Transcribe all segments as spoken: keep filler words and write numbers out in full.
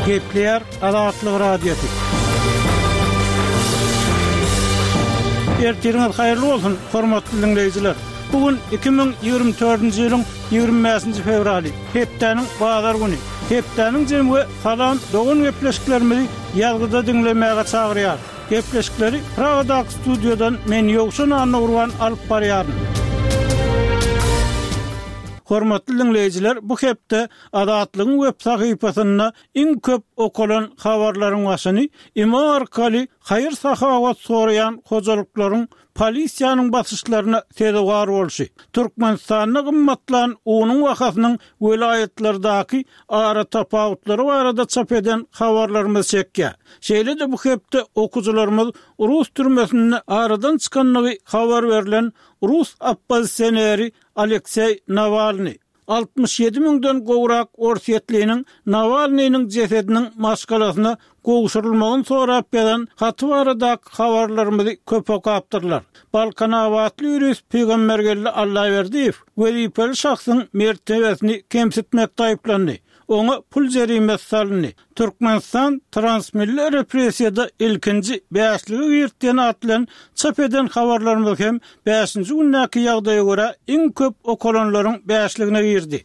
Gepleýär Azatlyk Radiosy. Ertiriňiz haýyrly bolsun, hormatly diňleýjiler! Bu gün iki müň ýigrimi dördünji ýylyň ýigrimi bäşinji fewraly, hepdäniň bazar güni. Hepdäniň jemi we Salam dogan gepleşiklerimizi ýazgyda diňlemäge çagyrýar. Gepleşikleri Pragadaky studiýadan men Ýowşan Annagurban alyp barýaryn. Hormatly diňleýjiler, bu hepde Azatlygyň web sahypasynda iň köp okalan habarlaryň başyny imo arkaly haýyr-sahawat soraýan hojalyklaryň polisiýanyň basyşlaryna sezewar bolşy, Türkmenistanda gymmatlan unuň bahasynyň welaýatlardaky aratapawutlary barada çap eden habarlarymyz çekýär. Şeýle-de bu hepde okyjylarymyz rus türmesinde aradan çykandygy habar berlen rus oppozisioneri Alekseý Nawalnyý, Altmyş ýedi müňden gowrak orsýetliniň Nawalnynyň jesediniň maşgalasyna gowşurylmagyny sorap ýazan haty baradaky habarlarymyzy köp okapdyrlar. Balkanabatly ýurist Pygambergeldi Allaberdiýew wezipeli şahsyň mertebesini kemsitmekde aýyplandy. Oňa pul jerimesi salyndy. Türkmenistan transmilli repressiýada ilkinji bäşlige girdi diýen at bilen çap eden habarlarymyz hem bäşinji gündäki ýagdaýa görä iň köp okalanlaryň bäşligine girdi.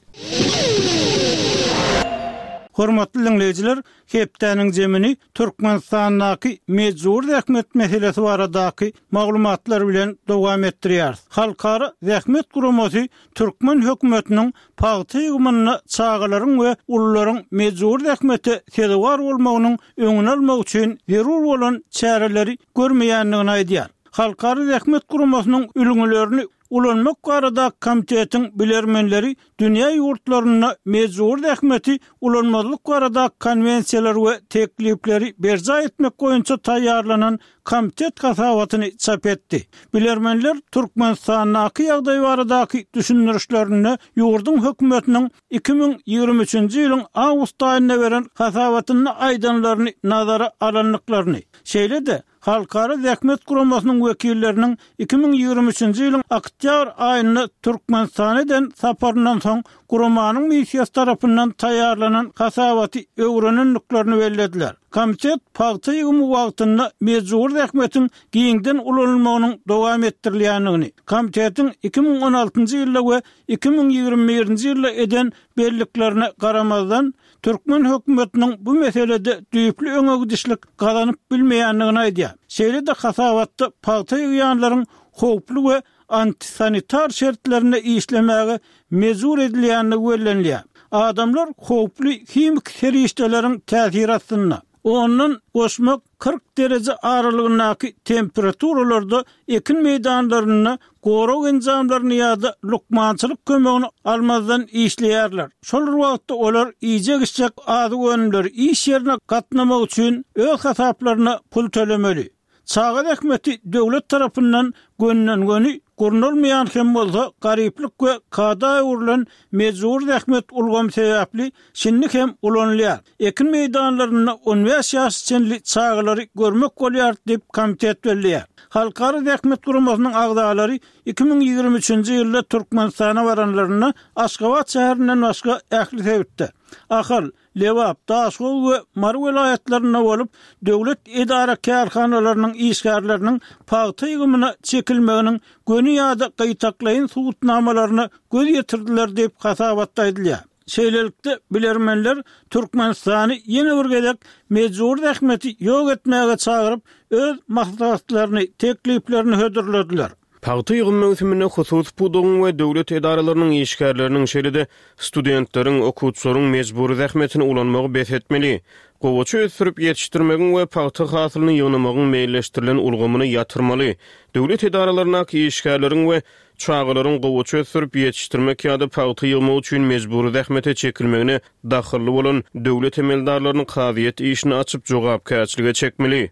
Hormatly diňleýjiler, hepdäniň jemini Türkmenistandaky mejbury zähmet meselesi baradaky maglumatlar bilen dowam etdirýäris. Halkara zähmet guramasy türkmen hökümetiniň pagta ýygymynda çagalaryň we ulularyň mejbury zähmete sezewar bolmagynyň öňüni almak üçin zerur bolan çäreleri görmeýändigini aýdýar. Halkara zähmet guramasynyň ülňülerini ulanmak baradaky komitetiň bilermenleri dünýä ýurtlarynda mejbury zähmeti ulanmazlyk baradaky konwensiýalary we teklipleri berjaý etmek boýunça taýýarlanan komitet hasabatyny çap etdi. Bilermenler Türkmenistandaky ýagdaý baradaky düşündirişlerinde ýurduň hökümetiniň iki müň ýigrimi üçünji ýylyň awgust aýynda beren hasabatynda aýdanlaryny nazara alandyklaryny, şeýle-de Halkara zähmet guramasynyň wekilleriniň iki müň ýigrimi üçünji ýylyň oktýabr aýynda Türkmenistana eden saparyndan soň guramanyň missiýasy tarapyndan taýýarlanan hasabaty öwrenendiklerini bellediler. Komitet pagta ýygymy wagtynda mejbury zähmetiň giňden ulanylmagynyň dowam etdirilýändigini, komitetiň iki müň on altynjy ýylda we iki müň ýigrimi birinji ýylda eden belliklerine garamazdan, türkmen hökümetiniň bu meselede düýpli öňe gidişlik gazanyp bilmeýändigini aýdýar. Şeýle-de hasabatda pagta ýygýanlaryň howply we antisanitar şertlerinde işlemäge mejbur edilýändigi bellenilýär. Adamlar howply himiki serişdeleriň täsiri astynda, ondan goşmak kyrk dereje aralygyndaky temperaturalarda ekin meýdanlarynda gorag enjamlaryny ýa-da lukmançylyk kömegini almazdan işleýärler. Şol bir wagtda olar iýjek-içjek azyk önümleri iş ýerine gatnamak üçin öz hasaplaryna pul tölemeli. Çaga zähmeti döwlet tarapyndan gönden-göni gurnalmaýan hem bolsa, garyplyk we kada öwrülen mejbury zähmet ulgamy sebäpli şindi hem ulanylýar. Ekin meýdanlarynda on bäş ýaşa çenli çagalary görmek bolýar diýip, komitet belleýär. Halkara zähmet guramasynyň agzalary iki müň ýigrimi üçünji ýylda Türkmenistana baranlarynda Aşgabat şäherinden başga ähli sebitde, Ahal, Lebap, Daşoguz we Mary welaýatlarynda bolup, döwlet edara-kärhanalarynyň işgärleriniň pagta ýygymyna çekilmeginiň göni ýa-da gytaklaýyn subutnamalaryna göz ýetirdiler diýip, hasabatda aýdylýar. Şeýlelikde, bilermenler Türkmenistany ýene bir gezek mejbury zähmeti ýok etmäge çagyryp, öz maslahatlaryny, tekliplerini hödürlediler. Pagta ýygym möwsüminde hususy pudagyň we döwlet edaralarynyň işgärleriniň, şeýle-de studentleriň, okuwçylaryň mejbury zähmetini ulanmagy bes etmeli. Gowaça ösdürip ýetişdirmegiň we pagta hasylyny ýygnamagyň meýilleşdirilen ulgamyny ýatyrmaly. Döwlet edaralaryndaky işgärleriň we çagalaryň gowaça ösdürip ýetişdirmek ýa-da pagta ýygmak üçin mejbury zähmete çekilmegine dahylly bolan döwlet emeldarlaryny kazyýet işini açyp jogapkärçilige çekmeli.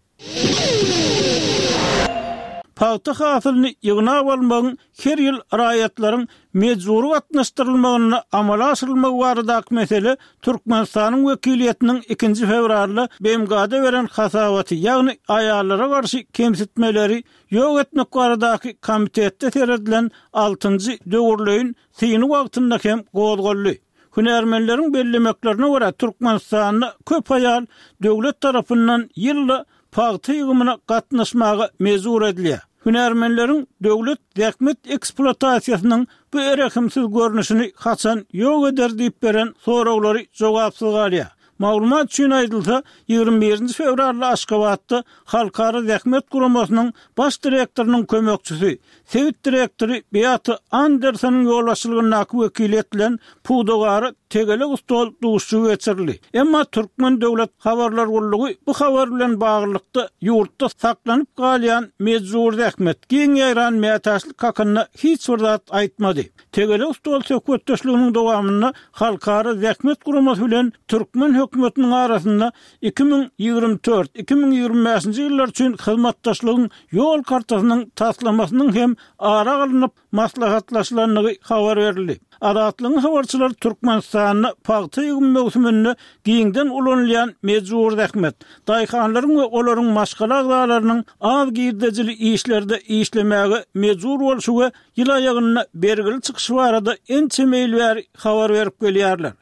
Pagta hasylyny ýygnap almagyň her ýyl raýatlaryň mejbury gatnaşdyrylmagynda amala aşyrylmagy baradaky mesele Türkmenistanyň wekiliýetiniň ikinji fewralda B M G-da beren hasabaty, ýagny aýallara garşy kemsitmeleri ýok etmek baradaky komitetde seredilen altynjy döwürleýin syny wagtynda hem gozgaldy. Hünärmenleriň bellemeklerine görä, Türkmenistanda köp aýal döwlet tarapyndan ýylda pagta ýygymyna gatnaşmaga mejbur edilýär. Hünärmenleriň döwlet zähmet ekspluatasiýasynyň bu rehimsiz görnüşini haçan ýok eder diýip beren soraglary jogapsyz galýar. Maglumat üçin aýdylsa, ýigrimi birinji fewralda Aşgabatda Halkara zähmet guramasynyň baş direktorynyň kömekçisi, sebit direktory Beata Andersonyň ýolbaşçylygyndaky wekiliýet bilen pudagara tegelek stol duşuşygy geçirildi. Emma Türkmen döwlet habarlar gullugy bu habar bilen baglylykda ýurtda saklanyp galýan mejbury zähmet, giň ýaýran mätäçlik hakynda hiç bir zat aýtmady. Tegelek stol söhbetdeşliginiň dowamynda Halkara zähmet guramasy bilen türkmen hökümetiniň arasynda iki müň ýigrimi dört, iki müň ýigrimi bäşinji ýyllar üçin hyzmatdaşlygyň ýol kartasynyň taslamasynyň hem ara alnyp maslahatlaşylandygy habar berildi. Azatlygyň habarçylary Türkmenistanda pagta ýygym möwsüminde giňden ulanylýan mejbury zähmet, daýhanlaryň we olaryň maşgala agzalarynyň az girdejili işlerde işlemäge mejbur bolşy we ýyl aýagynda bergili çykyşy barada ençeme ýyl bäri habar berip gelýärler.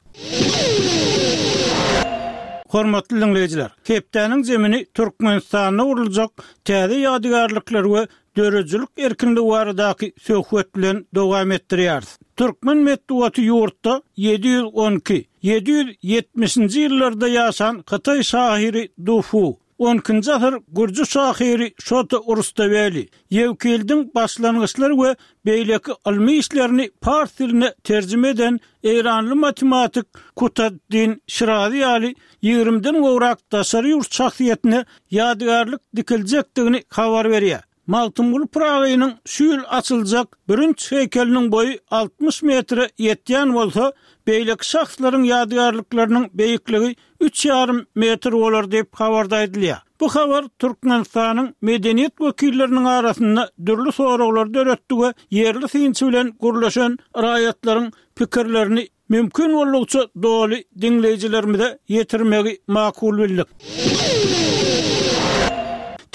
Hormatly diňleýjiler, hepdäniň zemini Türkmenistanda guruljak täze ýadygärlikler we döredijilik erkinligi baradaky söhbet bilen dowam etdirýäris. Türkmen metbugaty ýurtda ýedi ýüz on iki, ýedi ýüz ýetmişinji ýyllarda ýaşan hytaý şahyry Du Fu, on ikinji asyr gürji şahyry Şota Rustaweli, Ýewkildiň başlangyçlary we beýleki ylmy işlerini pars diline terjime eden eýranly matematik Kutaddin Şirazi ýaly ýigrimiden gowrak daşary ýurt şahsyýetine ýadygärlik dikiljekdigini habar berýär. Magtymguly Pyragynyň şu ýyl açyljak bürünç heýkeliniň boýy altmyş metre ýetýän bolsa, beýleki şahslaryň ýadygärlikleriniň beýikligi üç ýarym metr bolar diýip habarda aýdylýar. Bu habar Türkmenistanyň medeniýet wekilleriniň arasynda dürli soraglary döretdi we ýerli synçy bilen gürleşen raýatlaryň pikirlerini mümkin boldugyça doly diňleýjilerimize ýetirmegi makul bildik.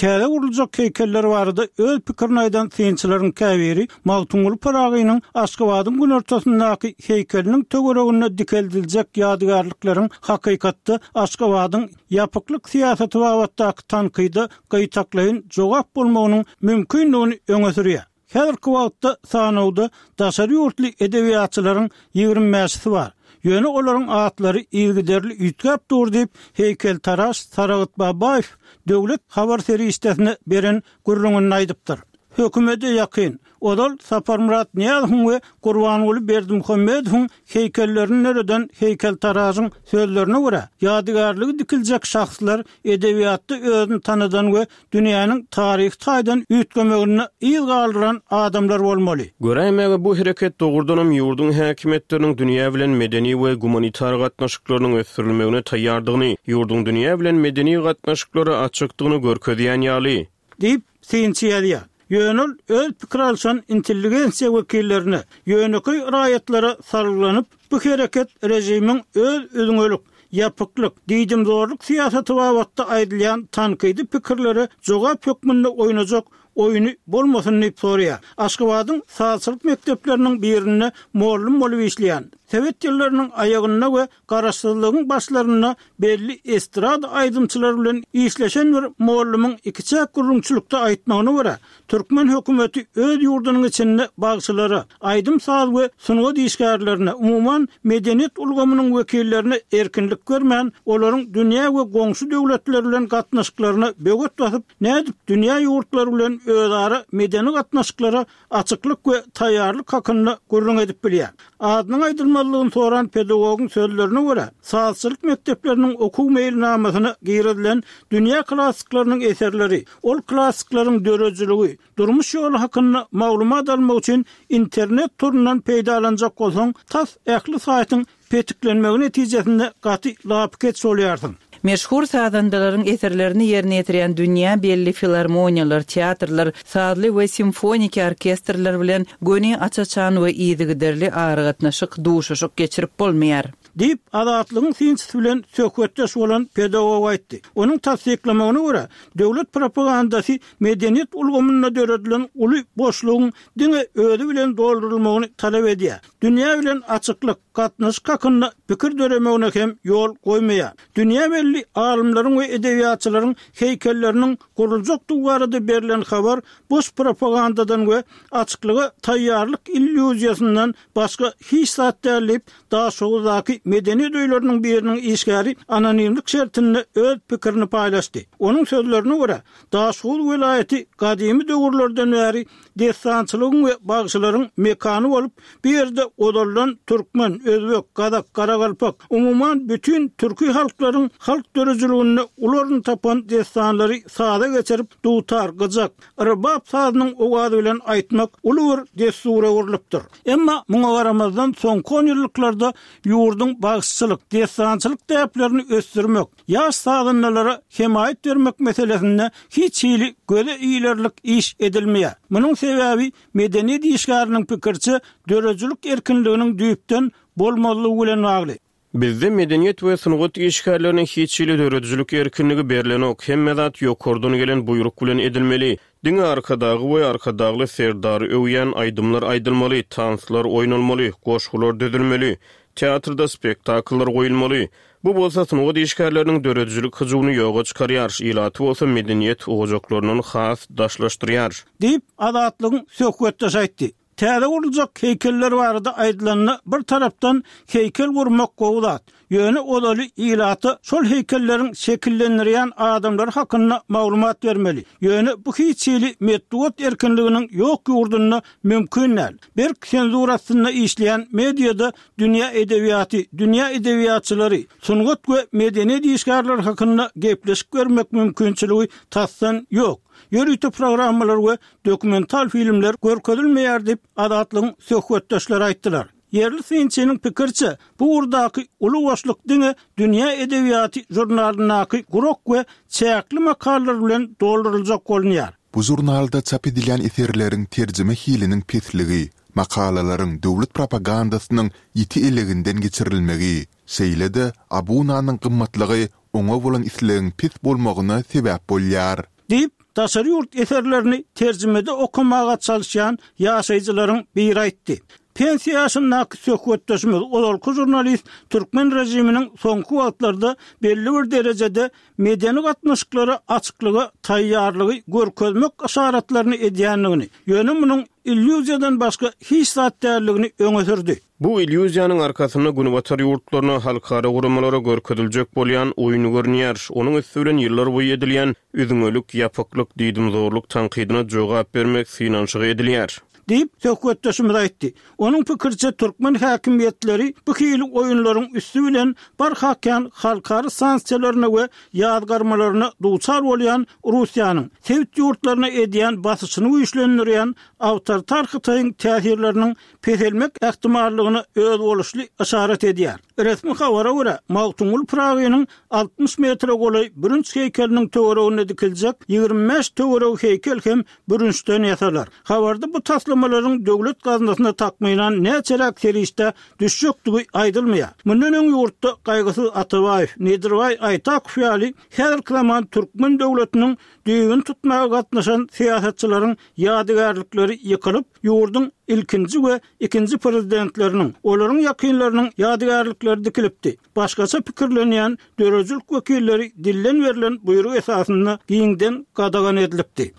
Täze guruljak heýkeller barada öz pikirini aýdan synçylaryň käbiri Magtymguly Pyragynyň Aşgabadyň günortasyndaky heýkeliniň töwereginde dikeldiljek ýadygärlikleriň hakykatda Aşgabadyň ýapyklyk syýasaty babatdaky tankyda gytaklaýyn jogap bolmagynyň mümkindigini öňe sürýär. Häzirki wagtda sanawda daşary ýurtly edebiýatçylaryň ýigrimi bäşisi bar. Ýöne olaryň atlary yzygiderli üýtgäp dur diýip, heýkeltaraş Saragyt Babaýew döwlet habar serişdesine beren gürrüňinde aýdypdyr. Hökümete ýakyn, ozal Saparmyrat Nyýazowyň we Gurbanguly Berdimuhamedowyň heýkellerini döreden heýkeltaraşyň sözlerine görä, ýadygärligi dikiljek şahslar edebiýatda özüni tanadan we dünýäniň taryhy taýdan üýtgemeginde yz galdyran adamlar bolmaly. Göräýmäge bu hereket dogrudanam ýurduň häkimiýetleriniň dünýä bilen medeni we gumanitar gatnaşyklarynyň ösdürilmegine taýýardygyny, ýurduň dünýä bilen medeni gatnaşyklara açykdygyny görkezýän ýaly. Diýip, synçy ýazýar. Ýöne ol öz pikir alşan intelligensiýa wekillerine, ýönekeý raýatlara salgylanyp, bu hereket režimiň öz üzňelik, ýapyklyk, diýdimzorluk syýasaty babatda aýdylýan tankydy pikirlere jogap hökmünde oýnajak oýny bolmasyn diýip soraýar. Aşgabadyň sazçylyk mekdepleriniň birinde mollum bolup işleýän, Sowet ýyllarynyň aýagynda we garaşsyzlygyň başlarynda belli estrada aýdymçylary bilen işleşen bir mollumyň ikiçäk gürrüňçilikde aýtmagyna görä, türkmen hökümeti öz ýurdunyň içinde bagşylara, aýdym-saz we sungat işgärlerine, umuman medeniýet ulgamynyň wekillerine erkinlik bermän, olaryň dünýä we goňşy döwletler bilen gatnaşyklaryna böwet basyp, nädip dünýä ýurtlary bilen özara medeni gatnaşyklara açyklyk we taýýarlyk hakynda gürrüň edip bilýär. Adynyň aýdylmazlygyny soran pedagogyň sözlerine görä, sazçylyk mekdepleriniň okuw meýilnamasyna girizilen dünýä klassyklarynyň eserleri, ol klassyklaryň döredijiligi, durmuş ýoly hakynda maglumat almak üçin internet torundan peýdalanjak bolsaň, tas ähli saýtyň petiklenmegi netijesinde gaty lapykeç bolýarsyň. Meşhur sazandalaryň eserlerini ýerine ýetirýän dünýä belli filarmoniýalar, teatrlar, sazly we simfoniki orkestrler bilen göni aç-açan we yzygiderli aragatnaşyk, duşuşyk geçirip bolmaýar. Diýip, Azatlygyň synçysy bilen söhbetdeş bolan pedagog aýtdy. Onuň tassyklamagyna görä, döwlet propagandasy medeniýet ulgamynda döredilen uly boşlugyň diňe özi bilen doldurylmagyny talap edýär. Dünýä bilen açyklyk, gatnaşyk hakynda pikir döremegine hem ýol goýmaýar. Dünýä belli alymlaryň we edebiýatçylaryň heýkelleriniň guruljakdygy barada berlen habar boş propagandadan we açyklyga taýýarlyk illýuziýasyndan başga hiç zat däl diýip, Daşoguzdaky medeniýet öýleriniň biriniň işgäri anonimlik şertinde öz pikirini paýlaşdy. Onuň sözlerine görä, Daşoguz welaýaty gadymy döwürlerden bäri dessançylygyň we bagşylaryň mekany bolup, bu ýerde ozaldan türkmen, özbek, gazak, garagalpak, umuman, bütin türki halklaryň halk döredijiliginde uly orun tapan dessanlary saza geçirip, dutar, gyjak, rbap sazynyň owazy bilen aýtmak uly bir dessura öwrülipdir. Emma muňa garamazdan, soňky onýyllyklarda ýurduň bagşyçylyk, dessançylyk däplerini ösdürmek, ýaş sazandalara hemaýat bermek meselesinde hiç hili göze ilerlik iş edilmeýär. Munuň sebäbi, medeniýet işgäriniň pikiriçe, döredijilik erkinliginiň düýpden bolmazlygy bilen bagly. Bizde medeniýet we sungat işgärlerine hiç hili döredijilik erkinligi berlenok, hemme zat ýokardan gelen buýruk bilen edilmeli. Diňe Arkadagy we Arkadagly Serdary öwýän aýdymlar aýdylmaly, tanslar oýnalmaly, goşgular düzülmeli, teatrda spektakllar goýulmaly. Bu bolsa sungat işgärleriniň döredijilik hyjuwyny ýoga çykarýar, ilaty bolsa medeniýet ojaklaryndan has daşlaşdyrýar. Diýip, Azatlygyň söhbetdeşi aýtdy. Täze guruljak heýkeller barada aýdylanda, bir tarapdan heýkel gurmak gowy zat. Ýöne ozaly ilata şol heýkelleriň şekillendirýän adamlary hakynda maglumat bermeli. Ýöne bu hiç hili metbugat erkinliginiň ýok ýurdunda mümkin däl. Berk senzura astynda işleýän mediada dünýä edebiýaty, dünýä edebiýatçylary, sungat we medeniýet işgärleri hakynda gepleşik bermek mümkinçiligi tasdan ýok. Ýörite programmalar we dokumental filmler görkezilmeýär diýip, Azatlygyň söhbetdeşleri aýtdylar. Ýerli synçynyň pikiriçe, bu ugurdaky uly boşluk diňe Dünýä edebiýaty žurnalyndaky gurak we çäkli makalalar bilen dolduryljak bolunýar. Bu žurnalda çap edilýän eserleriň terjime hiliniň pesligi, makalalaryň döwlet propagandasynyň ýiti eleginden geçirilmegi, şeýle-de abunanyň gymmatlygy oňa bolan islegiň pes bolmagyna sebäp bolýar. Diýip, daşary ýurt eserlerini terjimede okamaga çalyşýan ýaşaýjylaryň biri aýtdy. Pensiýa ýaşyndaky söhbetdeşimiz, ozalky žurnalist türkmen režiminiň soňky wagtlarda belli bir derejede medeni gatnaşyklara açyklyga taýýarlygy görkezmek yşaratlaryny edýändigini, ýöne munuň illýuziýadan başga hiç zat däldigini öňe sürdi. Bu illýuziýanyň arkasynda Günbatar ýurtlaryna, halkara guramalara görkeziljek bolýan oýun görünýär. Onuň üsti bilen ýyllarboýy edilýän üzňelik, ýapyklyk, diýdimzorluk tankydyna jogap bermek synanyşygy edilýär. Diýip, söhbetdeşimiz aýtdy. Onuň pikiriçe, türkmen häkimiýetleri bu hili oýunlaryň üsti bilen barha kän halkara sanksiýalaryna we ýazgarmalaryna duçar bolýan Russiýanyň sebit ýurtlaryna edýän basyşyny güýçlendirýän awtoritar Hytaýyň täsirleriniň peselmek ähtimallygyna özboluşly yşarat edýär. Resmi habara görä, Magtymguly Pyragynyň altmyş metre golaý bürünç heýkeliniň töwereginde dikiljek ýigrimi bäş töweregi heýkel hem bürünçden ýasalar. Habarda bu taslamalaryň döwlet gaznasyna takmynan näçeräk serişde düşjekdigi aýdylmaýar. Mundan öň ýurtda Gaýgysyz Atabaýew, Nedirbaý Aýtakow ýaly häzirki zaman türkmen döwletiniň düýbüni tutmaga gatnaşan syýasatçylaryň ýadygärlikleri ýykylyp, ýurduň ilkinji we ikinji prezidentleriniň, olaryň ýakynlarynyň ýadygärlikleri dikilipdi. Başgaça pikirlenýän döredijilik wekilleri dilden berlen buýruk esasynda giňden gadagan edilipdi.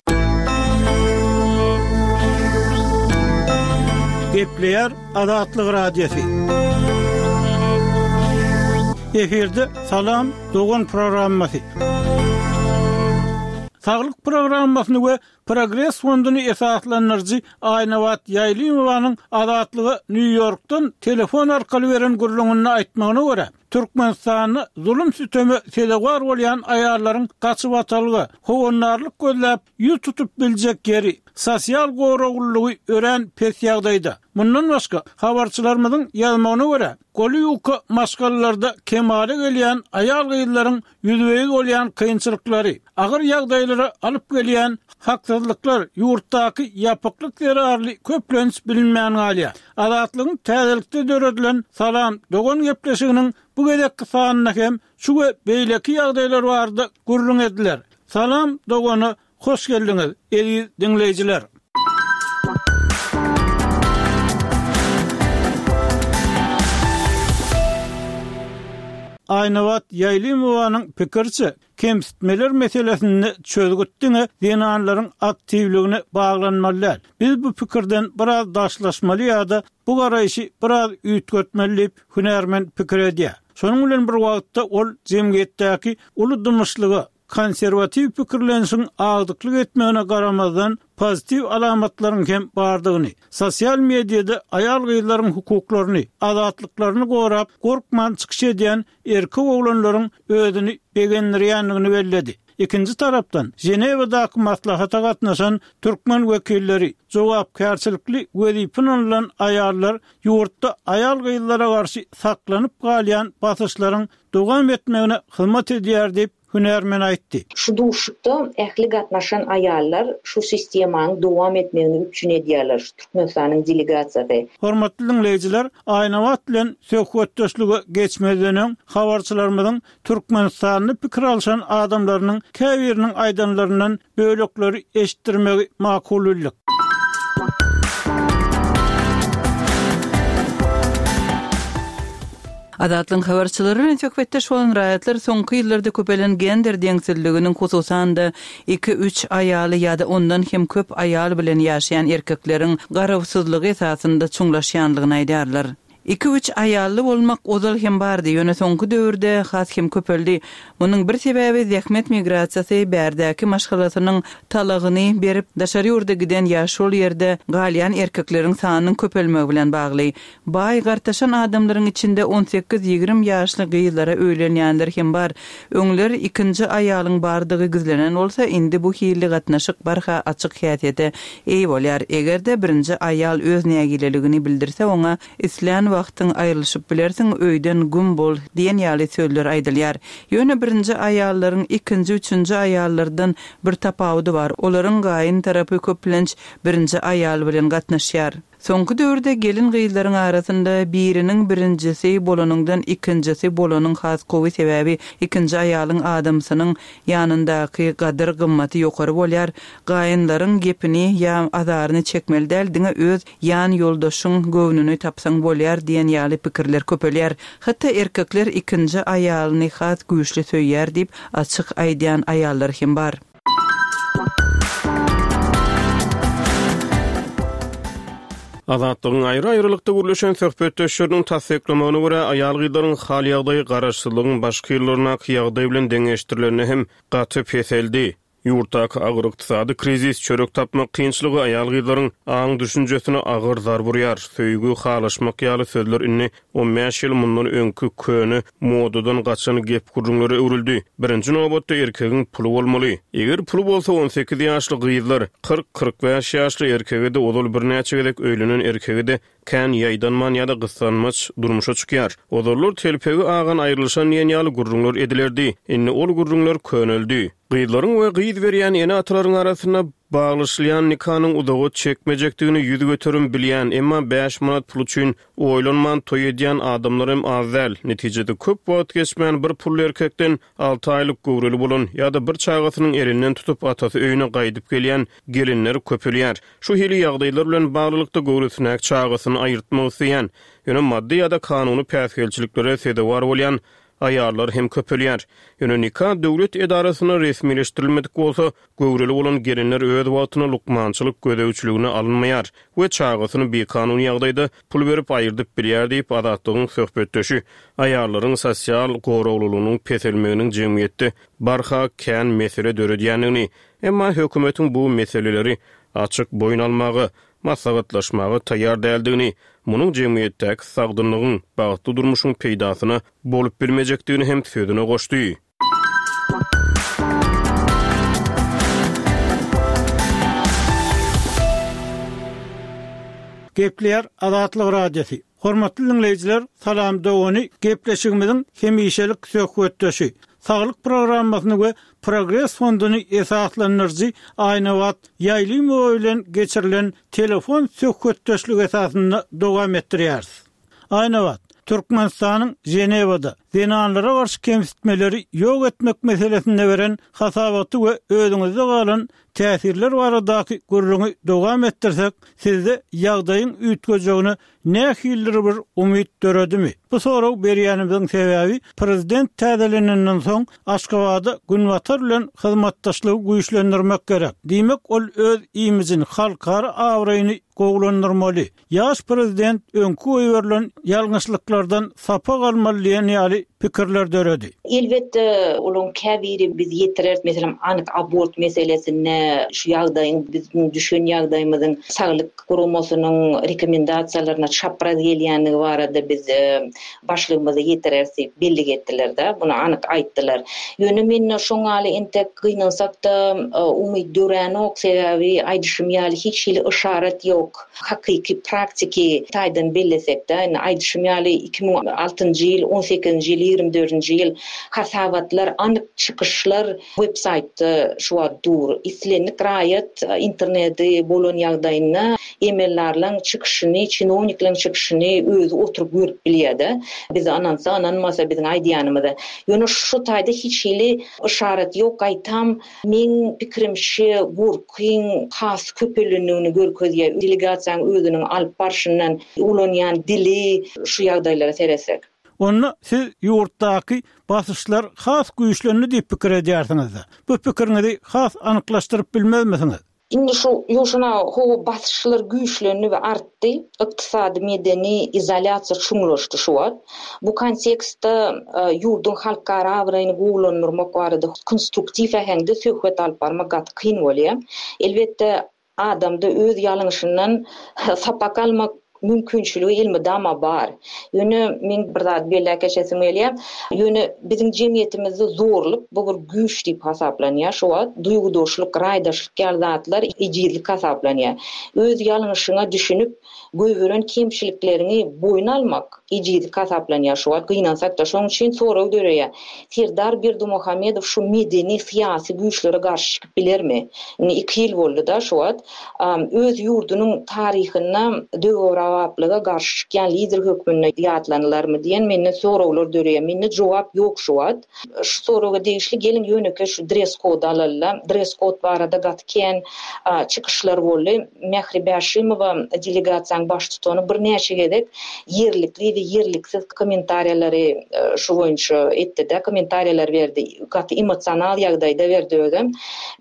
Gepleýär Azatlyk Radiosy. Efirde Salam dogan programmasy. Saglyk programmasyny we Progres fonduny esaslandyryjy Aýnabat Ýaýlymowanyň Azatlyga Nýu-Ýorkdan telefon arkaly beren gürrüňinde aýtmagyna görä, Türkmenistanda zulum-süteme sezewar bolýan aýallaryň gaçybatalga, howandarlyk gözläp ýüz tutup biljek ýeri, sosial goraglylygy örän pes ýagdaýda. Mundan başga, habarçylarymyzyň ýazmagyna görä, goly ýuka maşgalalarda kemala gelýän aýal-gyzlaryň ýüzbe-ýüz bolýan kynçylyklary, agyr ýagdaýlara alyp gelýän haksyzlyklar ýurtdaky ýapyklyk zerarly köplenç bilinmän galýar. Azatlygyň täzelikde döredilen Salam, dogan gepleşiginiň bu gezekki sanynda hem şu we beýleki ýagdaýlar barada gürrüň ediler. Salam, dogana hoş geldiňiz, eziz diňleýjiler! Aýnabat Ýaýlymowanyň pikiriçe, kemsitmeler meselesinde çözgüt diňe zenanlaryň aktiwligine baglanmaly däl. Biz bu pikirden biraz daşlaşmaly ýa-da bu garaýşy biraz üýtgetmeli diýip, hünärmen pikir edýär. Şonuň bilen bir wagtda ol jemgyýetdäki uly dymyşlyga, konserwatiw pikirlenişiň agdyklyk etmegine garamazdan pozitiw alamatlaryň hem bardygyny, sosial mediada aýal-gyzlaryň hukuklaryny, azatlyklaryny gorap, gorkman çykyş edýän erkek oglanlaryň özüni begendirýändigini belledi. Ikinji tarapdan, Ženewadaky maslahata gatnaşan türkmen wekilleri, jogapkärçilikli wezipe ynanylan aýallar ýurtda aýal-gyzlara garşy saklanyp galýan basyşlaryň dowam etmegine hyzmat edýär diýip, hünärmen aýtdy. Şu duşuşykda ähli gatnaşan aýallar şu sistemanyň dowam etmegini üpjün edýärler, şu Türkmenistanyň delegasiýasy. Hormatly diňleýjiler, Aýnabat bilen söhbetdeşlige geçmezden öň, habarçylarymyzyň Türkmenistanda pikir alşan adamlarynyň käbiriniň aýdanlaryndan bölekleri eşitdirmegi makul bildik. Azatlygyň habarçylary bilen söhbetdeş bolan raýatlar soňky ýyllarda köpelen gender deňsizliginiň, hususan-da iki-üç aýaly ýa-da ondan hem köp aýal bilen ýaşaýan erkekleriň garawsyzlygy esasynda çuňlaşýanlygyny aýdýarlar. Iki-üç aýally bolmak ozal hem bardy, ýöne soňky döwürde has hem köpeldi. Munuň bir sebäbi zähmet migrasiýasy, bärdäki maşgalasynyň talagyny berip, daşary ýurda giden ýa şol ýerde galýan erkekleriň sanynyň köpelmegi bilen bagly. Baý gartaşan adamlaryň içinde on sekiz-ýigrimi ýaşly gyzlara öýlenýänler hem bar. Öňler ikinji aýalyň bardygy gizlenen bolsa, indi bu hilli gatnaşyk barha açyk häsiýete eýe bolýar. Eger-de birinji aýal öz nägileligini bildirse, oňa islän wagtyň aýrylyşyp bilersiň, öýden güm bol diýen ýaly sözler aýdylýar. Ýöne birinji aýallaryň ikinji, üçünji aýallardan bir tapawudy bar. Olaryň gaýyn tarapy köplenç birinji aýal bilen gatnaşýar. Soňky döwürde gelin gyzlaryň arasynda biriniň birinjisi bolanyňdan ikinjisi bolanyň has gowy, sebäbi ikinji aýalyň adamsynyň ýanyndaky gadyr gymmaty ýokary bolýar. Gaýynlaryň gepini ýa azaryny çekmeli däl, diňe öz ýan ýoldaşyň göwnüni tapsaň bolýar diýen ýaly pikirler köpelýär. Hatda erkekler ikinji aýalyny has güýçli söýýär diýip açyk aýdýan aýallar hem bar. Azatlygyň aýry-aýrylykda gürleşen söhbetdeşleriniň tassyklamagyna görä, aýal-gyzlaryň hal ýagdaýy garaşsyzlygyň başky ýyllaryndaky ýagdaý bilen deňeşdirilende hem gaty peseldi. Ýurtdaky agyr ykdysady krizis, çörek tapmak kynçylygy aýal-gyzlaryň aň düşünjesine agyr zarb urýar. Söýgi, halaşmak ýaly sözler indi on bäş ýyl mundan öňki köne modadan gaçan gep gürrüňlere öwrüldi. Birinji nobatda erkegiň puly bolmaly. Eger puly bolsa on sekiz ýaşly gyzlar, kyrk-kyrk bäş ýaşly erkege de ozal birnäçe gezek öýlenen erkege de kän ýaýdanman ýa-da gyssanmaç durmuşa çykýar. Ozallar telpegi agan aýrylyşan diýen ýaly gürrüňler edilerdi. Indi ol gürrüňler köneldi. Gyzlaryň we gyz berýän ene-atalaryň arasynda baglaşylýan nikanyň uzaga çekmejekdigini ýüz göterim bilýän, emma bäş manat pul üçin oýlanman toý edýän adamlar hem az däl. Netijede köp wagt geçmän bir pully erkekden alty aýlyk göwreli bolan ýa-da bir çagasynyň elinden tutup atasy öýüne gaýdyp gelýän gelinler köpelýär. Şu hili ýagdaýlar bilen baglylykda göwresindäki çagasyny aýyrtmak isleýän, ýöne maddy ýa-da kanuny päsgelçiliklere sezewar bolýan aýallar hem köpelýär. Ýöne nika döwlet edarasyna resmileşdirilmedik bolsa, göwreli bolan gelinler öz wagtyna lukmançylyk gözegçiligine alynmaýar we çagasyny bikanun ýagdaýda pul berip aýyrdyp bilýär diýip Azatlygyň söhbetdeşi aýallaryň sosial goraglylygynyň peselmeginiň jemgyýetde barha kän mesele döredýändigini, emma hökümetiň bu meseleleri açyk boýun almaga, maslahatlaşmaga taýýar däldigini, munuň jemgyýetdäki sagdynlygyň, bagtly durmuşyň peýdasyna bolup bilmejekdigini hem sözüne goşdy. Gepleýär Azatlyk Radiosy. Hormatly dinleýjiler, salam dogany gepleşigimiziň hemişelik söhbetdeşi, Saglyk programmasyny we Progres fonduny esaslandyryjy Aýnabat Ýaýlymowa bilen geçirilen telefon söhbetdeşligi esasynda dowam etdirýäris. Aýnabat, Türkmenistanyň Ženewada zenanlara garşy kemsitmeleri ýok etmek meselesinde beren hasabaty we özüňizde galan täsirler baradaky gürrüňi dowam etdirsek, sizde ýagdaýyň üýtgejegine nähilidir bir umyt döredimi? Bu sorag berýänimiziň sebäbi prezident täzelenenden soň Aşgabatda Günbatar bilen hyzmatdaşlygy güýçlendirmek gerek. Diýmek, ol öz imijini, halkara abraýyny gowulandyrmaly. Ýaş prezident öňki goýberilen ýalňyşlyklardan sapak almaly diýen ýaly pikirler döredi. Elbetde, olaryň käbiri biz ýetireris, meselem, anyk abort meselesinde şu ýagdaýyň biziň düşen ýagdaýymyzyň saglyk guramasynyň rekomendasiýalaryna çapraz gelýändigi barada biz başlygymyza ýetireris diýip bellik etdiler-de, muny anyk aýtdylar. Ýöne mende şoň ýaly entek gynansak-da umyt döränok, sebäbi aýdyşym ýaly hiç hili yşarat ýok. Hakyky praktiki taýdan bellesekde, indi aýdyşym ýaly iki müň altynjy ýyl, on sekizinji ýyl, ýigrimi dördünji ýyl hasabatlar, anyk çykyşlar web saýtda şu wagt dur. Islendik raýat interneti bolan ýagdaýynda emeldarlaryň çykyşyny, çinownikleriň çykyşyny özi oturyp görüp bilýär-de. Bize ynansa, ynanmasa biziň aýdýanymyza. Ýöne şu taýda hiç hili yşarat ýok, gaýtam meň pikirimçe gorkyň has köpelendigini görkezýär. Delegasiýanyň özüniň alyp barşyndan ulanýan dili şu ýagdaýlara seretsek. Onda siz ýurtdaky basyşlar has güýçlendi diýip pikir edýärsiňiz-de. Bu pikiriňizi has anyklaşdyryp bilmezmisiňiz? Indi şu ýuşuna howa basyşlar güýçlendi we artdy. Ykdysady medeni izolýasiýa çuňlaşdy şu wagt. Bu kontekstde, e, ýurduň halkara abraýyny gowulandyrmak barada konstruktiw äheňde söhbet alyp barmak gaty kyn bolýar. Elbetde adamda öz ýalňyşyndan sapak almak mümkinçiligi elmydama bar. Ýöne men bir zat belläp geçesim gelýär. Ýöne biziň jemgyýetimizde zorluk bu bir güýç diýip hasaplanýar. Şu wagt duýgudaşlyk, raýdaşlyk ýaly zatlar ejizlik hasaplanýar. Öz ýalňyşyňa düşünip, goýberen kemçilikleriňi boýun almak ejizlik hasaplanýar. Şu wagt gynansak-da, şonuň üçin sorag döreýär. Serdar Berdimuhamedow şu medeni syýasy güýçlere garşy çykyp bilermi? Indi iki ýyl boldy-da şu wagt. Am, öz ýurdunyň taryhynda döwrebaplyga garşy çykýan lider hökmünde ýatlanylarmy diýen mende soraglar döreýär. Mende jogap ýok şu wagt. Şu soraga degişli geliň ýöneke şu dress code alalylar. Dress code barada gaty kän, a, çykyşlar boldy. Mähri Bäşimowa delegasiýanyň baştutany birnäçe gezek ýerlikli we ýerliksiz kommentariýalary, e, şu boýunça etdi-de, kommentariýalar berdi. Gaty emosional ýagdaýda berdi özem.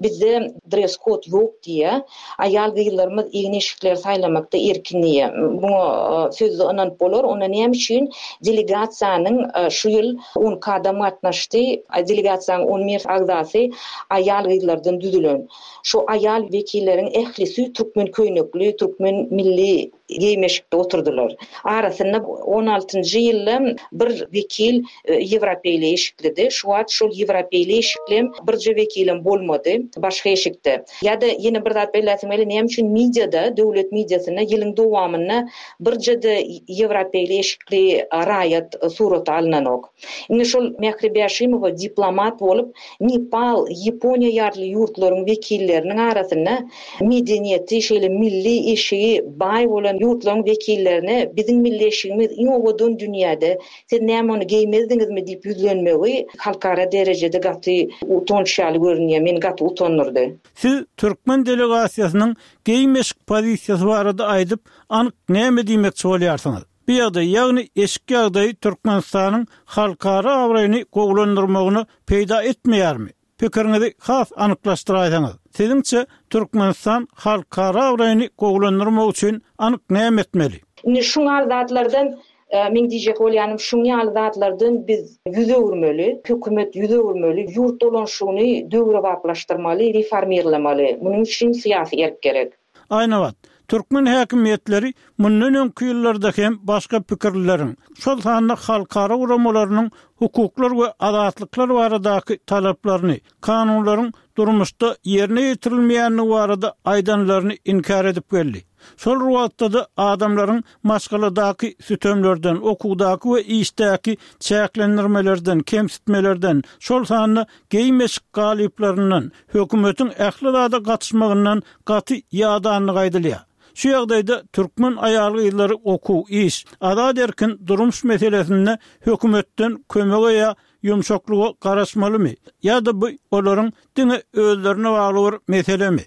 Bizde dress code ýok diýe. Aýal gyzlarymyz egin-eşikleri saýlamakda erkin diýe. Muňa, e, sözde ynanyp bolar. Onda näme üçin delegasiýanyň, e, şu ýyl on iki adam gatnaşdy. Delegasiýanyň on bir agzasy aýal gyzlardan düzülen. Şu aýal wekilleriň ählisi türkmen köýnekli, türkmen milli geýmeşikde oturdylar. Arasynda on altynjy ýylda bir wekil, e, ýewropeýli eşiklidi. Şu wagt şol ýewropeýli eşikli birje wekilem bolmady başga eşikde. Ýa-da ýene bir zat belläsim gelýär, näme üçin mediada, döwlet mediasynda ýylyň dowamynda birje-de ýewropeýli eşikli raýat surata alynanok. Indi şol Mähri Bäşimowa diplomat bolup Nepal, Ýaponiýa ýaly ýurtlaryň wekilleriniň arasynda medeniýeti, şeýle milli eşigi baý bolan ýurtlaryň wekillerine biziň milli eşigimiz iň owadan dünýäde, siz näme ony geýmezdiňizmi diýip ýüzlenmegi halkara derejede gaty utanç ýaly görünýär. Meni gaty utandyrdy. Siz türkmen delegasiýasynyň geýmeşik pozisiýasy barada aýdyp, anyk näme diýmekçi bolýarsyňyz? Bu ýagdaý, ýagny eşik ýagdaýy Türkmenistanyň halkara abraýyny gowulandyrmagyna peýda etmeýärmi? Pikiriňizi has anyklaşdyraýsaňyz. Siziňçe Türkmenistan halkara abraýyny gowulandyrmak üçin anyk näme etmeli? Indi şuň ýaly zatlardan, e, men diýjek bolýanym, şuň ýaly zatlardan biz ýüz öwürmeli, hökümet ýüz öwürmeli, ýurt dolanşygyny döwrebaplaşdyrmaly, reformirlemeli. Munuň üçin syýasy erk gerek. Aýnabat, türkmen häkimiýetleri mundan öňki ýyllarda hem başga pikirleriň, şol sanda halkara guramalarynyň hukuklar we azatlyklar baradaky talaplaryny, kanunlaryň durmuşda ýerine ýetirilmeýändigi barada aýdanlaryny inkär edip geldi. Şol wagtda-da adamlaryň maşgaladaky sütemlerden, okuwdaky we işdäki çäklendirmelerden, kemsitmelerden, şol sanda geýmeşik galyplaryndan, hökümetiň ähli zada gatyşmagyndan gaty ýadanlygy aýdylýar. Şu ýagdaýda türkmen aýal-gyzlary okuw, iş, azat-erkin durmuş meselesinde hökümetden kömege ýa ýumşaklyga garaşmalymy? Ýa-da bu olaryň diňe özlerine bagly bir meselemi?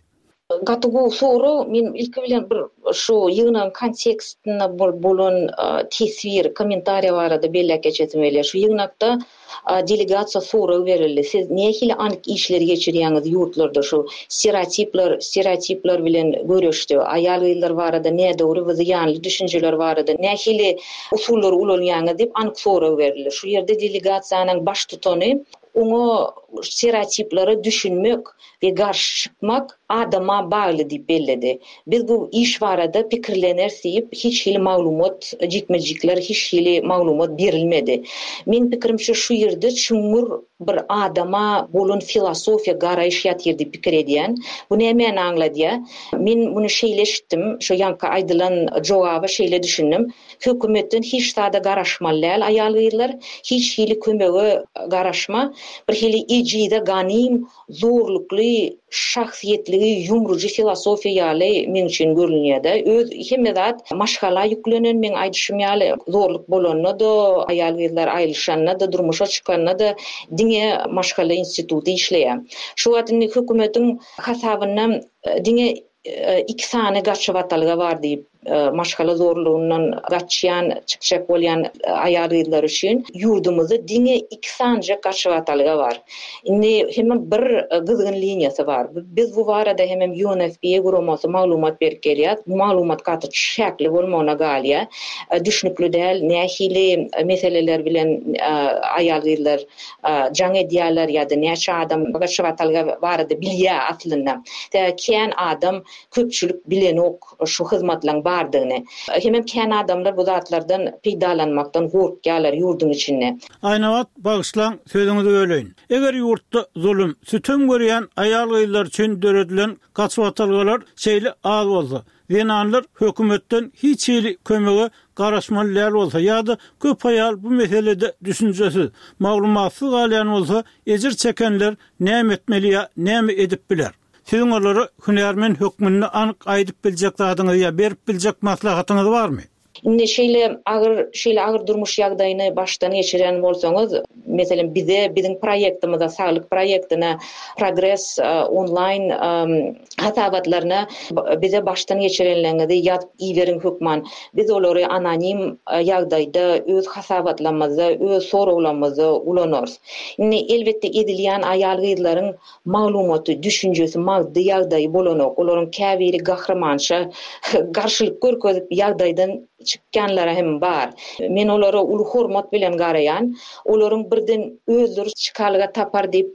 Gaty gowy sorag. Men ilki bilen bir şu ýygnagyň kontekstinde bolan teswir, kommentariýa barada belläp geçesim gelýär. Şu ýygnakda delegasiýa sorag berildi. Siz nähili anyk işleri geçirýäňiz ýurtlarda şu stereotipler, stereotipler bilen göreşde, aýal-gyzlar barada nädogry we zyýanly düşünjeler barada nähili usullary ulanýaňyz diýip anyk sorag berildi. Şu ýerde delegasiýanyň baştutany oňa stereotiplere düşünmek we garşy çykmak adama bagly diýip belledi. Biz bu iş barada pikirleneris diýip hiç hili maglumat, jikme-jikler hiç hili maglumat berilmedi. Meň pikirimçe şu ýerde çuňňur bir adama bolan filosofiýa garaýyş ýatyr diýip pikir edýän. Bu nämäni aňladýar? Men muny şeýle eşitdim, şu ýaňky aýdylan jogaba şeýle düşündim. Hökümetden hiç zada garaşmaly däl aýal-gyzlar, hiç hili kömege garaşma, bir hili ejize ganym, zorlukly, şahsyýetligi ýumrujy filosofiýa ýaly meň üçin görünýär-de. Öz hemme zat maşgala ýüklenen, meň aýdyşym ýaly zorluk bolanda-da, aýal-gyzlar aýrylyşanda-da, durmuşa çykanda-da diňe maşgala instituty işleýär. Şu wagt indi hökümetiň hasabynda diňe iki sany gaçybatalga bar diýip, maşgala zorlugyndan gaçýan, çykjak bolýan aýal-gyzlar üçin ýurdumyzda diňe iki sanyjak gaçybatalga bar. Indi hemem bir gyzgyn liniýasy bar. Biz bu barada hemem U N F P A guramasy maglumat berip gelýär. Bu maglumat gaty çäkli bolmagyna galýar. Düşnükli däl, nähili meseleler bilen aýal-gyzlar jaň edýärler ýa-da näçe adam gaçybatalga barada bilýär aslynda. Kän adam köpçülik bilenok şu hyzmatlaryň bardygyny. Hemem kän adamlar bu zatlardan peýdalanmakdan gorkýarlar ýurduň içinde. Aýnabat, bagyşlaň, sözüňizi böleýin. Eger ýurtda zulum, sütem görýän aýal-gyzlar üçin döredilen gaçybatalgalar şeýle az bolsa, zenanlar hökümetden hiç hili kömege garaşmaly däl bolsa ýa-da köp aýal bu meselede düşünjesiz, maglumatsyz galýan bolsa, ejir çekenler näme etmeli ýa näme edip biler? Siziň olara hünärmen hökmünde anyk aýdyp biljek zadyňyz ýa berip biljek maslahatyňyz barmy? Indi şeýle agyr, şeýle agyr durmuş ýagdaýyny başdan geçiren bolsaňyz, meselem bize, biziň proýektimize, saglyk proýektine, Progress onlaýn hasabatlaryna bize başdan geçirenleriňizi ýazyp iberiň hökman. Biz olary anonim ýagdaýda öz hasabatlarymyzda, öz soraglarymyzda ulanarys. Indi elbetde edilýän aýal-gyzlaryň maglumaty, düşünjesi, maddy ýagdaýy bolanok. Olaryň käbiri gahrymança garşylyk görkezip ýagdaýdan çykýanlara hem bar. Men olara uly hormat bilen garaýan. Olaryň birden özleri çykalga tapar diýip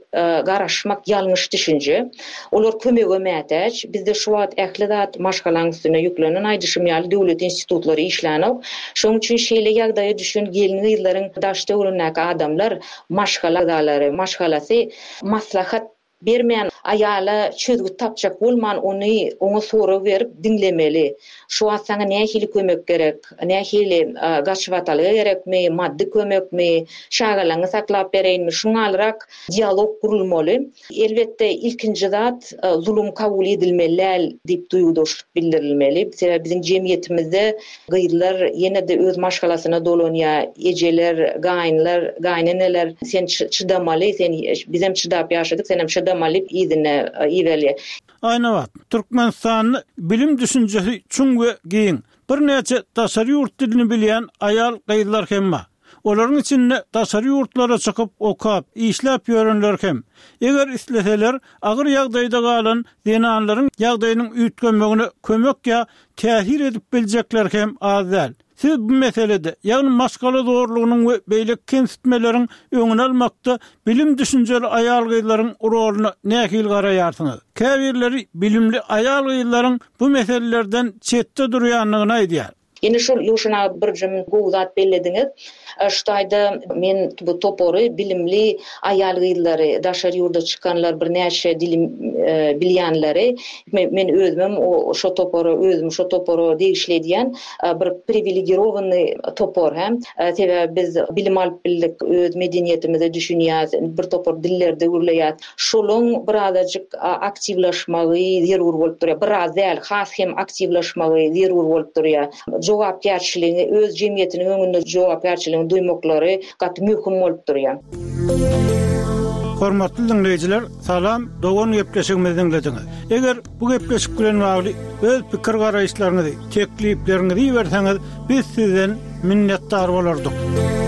garaşmak ýalňyş düşünje. Olar kömege mätäç. Bizde şu wagt ähli zat maşgalaň üstüne ýüklenen, aýdyşym ýaly döwlet institutlary işlänok. Şonuň üçin şeýle ýagdaýa düşen gelin-gyzlaryň daş töweregindäki adamlar, maşgala agzalary, maşgalasy maslahat bermän, aýala çözgüt tapjak bolman, ony oňa sorag berip diňlemeli. Şu wagt saňa nähili kömek gerek, nähili gaçybatalga gerekmi, maddy kömekmi, çagalaňy saklap bereýinmi, şuňalyrak dialog gurulmaly. Elbetde ilkinji zat zulum kabul edilmeli däl diýip duýgudaşlyk bildirilmeli. Sebäbi biziň jemgyýetimizde gyzlar ýene-de öz maşgalasyna dolanýar, ejeler, gaýynlar, gaýyneneler sen çydamaly, sen bizem çydap ýaşadyk, senem çydamaly yzyna iberýär. Aýnabat, Türkmenistanda bilim düşünjesi çuň we giň. Birnäçe daşary ýurt dilini bilýän aýal gyzlar hem bar. Olaryň içinde daşary ýurtlara çykyp okap, işläp ýörenler hem. Eger isleseler, agyr ýagdaýda galan zenanlaryň ýagdaýynyň üýtgemegine kömek ýa täsir edip biljekler hem az däl. Siz bu meselede, ýagny maşgala zorlugynyň we beýleki kemsitmeleriň öňüni almakda bilim düşünjeli aýal-gyzlaryň rolyna nähili garaýarsyňyz? Käbirleri bilimli aýal-gyzlaryň bu meselelerden çetde durýandygyny aýdýar. Ýene şol Ýuşana bir jüm gowy zat bellediňiz. Şu taýda men bu topary bilimli aýal-gyzlary, daşary ýurda çykanlar, birnäçe dili bilýänleri, men özümem şo topara, özümi şo topara degişli edýän, bir priwilegirowanyý topar hä. Sebäbi biz bilim alyp bildik, öz medeniýetimize düşünýäs, bir topar dillerde gürleýäs. Şolaň birazajyk aktiwlaşmagy zerur bolup durýar. Biraz däl, has hem aktiwlaşmagy zerur bolup durýar. Jogapkärçiligiňi, öz jemgyýetiniň öňünde jogapkärçiligiňi duýmaklary gaty möhüm bolup durýar. Hormatly diňleýjiler, salam, dogan gepleşigimizi diňlediňiz. Eger bu gepleşik bilen bagly öz pikir-garaýyşlaryňyzy, teklipleriňizi iberseňiz, biz sizden minnetdar bolardyk.